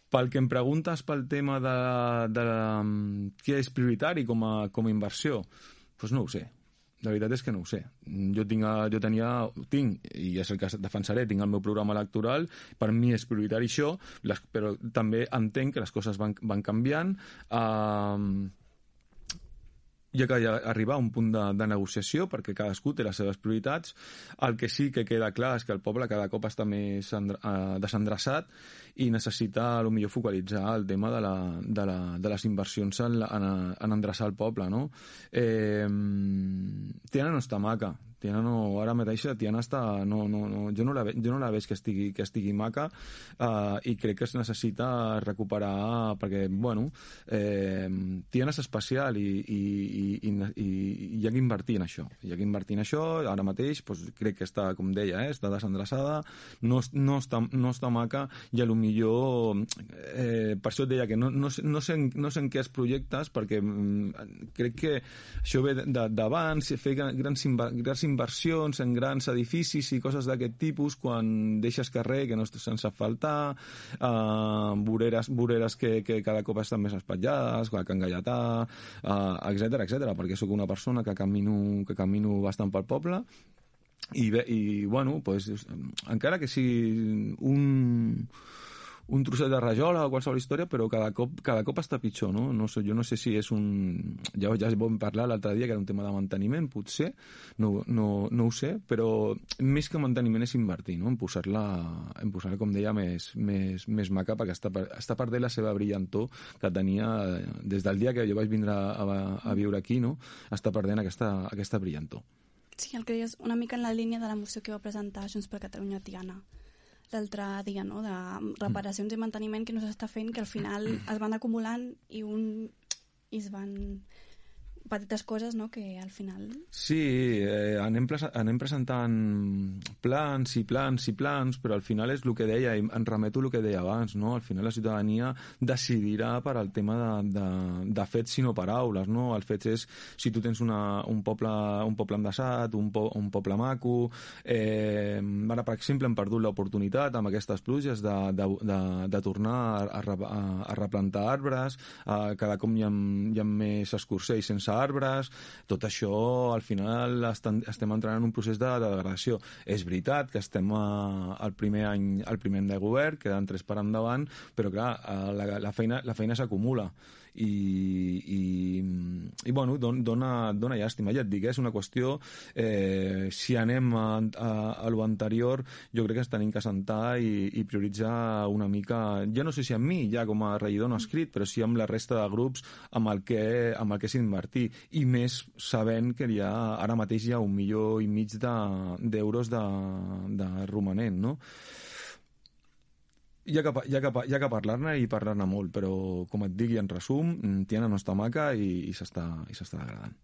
Pel que em preguntes pel tema de què és prioritari com a inversió, doncs no ho sé. La veritat és que no ho sé. Tinc, i és el que defensaré, tinc el meu programa electoral, per mi és prioritari això, però també entenc que les coses van canviant, hi ha que arribar a un punt de negociació perquè cadascú té les seves prioritats. El que sí que queda clar és que el poble cada cop està més desendreçat i necessita potser focalitzar el tema de les inversions en endreçar el poble, no? Tiana no està maca. Tiana no, ara mateix Tiana està, jo no la veig que estigui maca, i crec que es necessita recuperar perquè, bueno, Tiana és especial i hi ha que invertir en això. Ara mateix doncs, crec que està, com deia, està desendreçada, no està maca, i potser per això et deia que no sé en què es projectes, perquè crec que això ve d'abans, fer grans inversions en grans edificis i coses d'aquest tipus quan deixes carrer que no estàs sense asfaltar, voreres que cada cop estan més espatllades, Can Gaietà, etcètera, perquè sóc una persona que camino bastant pel poble i bueno, pues, encara que sigui un trosset de rajola o qualsevol història, però cada cop està pitjor, no? Jo no sé si és ja vam parlar l'altre dia que era un tema de manteniment, potser, no ho sé, però més que manteniment és invertir, no? En posar-la, com deia, més maca, perquè està perdent la seva brillantor que tenia des del dia que jo vaig vindre a viure aquí, no? Està perdent aquesta brillantor. Sí, el que deies una mica en la línia de la moció que va presentar Junts per Catalunya Tiana l'altre dia, no? De reparacions i manteniment que no s'està fent, que al final es van acumulant i es van petites coses, no? Que al final... Sí, anem presentant plans, però al final és el que deia, i em remeto el que deia abans, no? Al final la ciutadania decidirà per al tema de fets i no paraules, no? El fet és, si tu tens un poble endaçat, un poble maco, ara, per exemple, hem perdut l'oportunitat amb aquestes pluges de tornar a replantar arbres, cada cop hi ha més escorcells sense arbres, tot això al final estem entrant en un procés de degradació. És veritat que estem al primer any de govern, queden 3 per endavant, però clar, la feina s'acumula i bueno, dona llàstima. Ja et dic, és una qüestió, si anem a lo anterior, jo crec que ens tenim que sentar i prioritzar una mica, ja no sé si amb mi, ja com a regidor no escrit, però sí amb la resta de grups amb el que s'invertir, i més sabent que ara mateix hi ha 1,5 milions d'euros de romanent, no? Hi ha que parlar-ne i parlar-ne molt, però com et dic, en resum, Tiana no està maca i s'està degradant.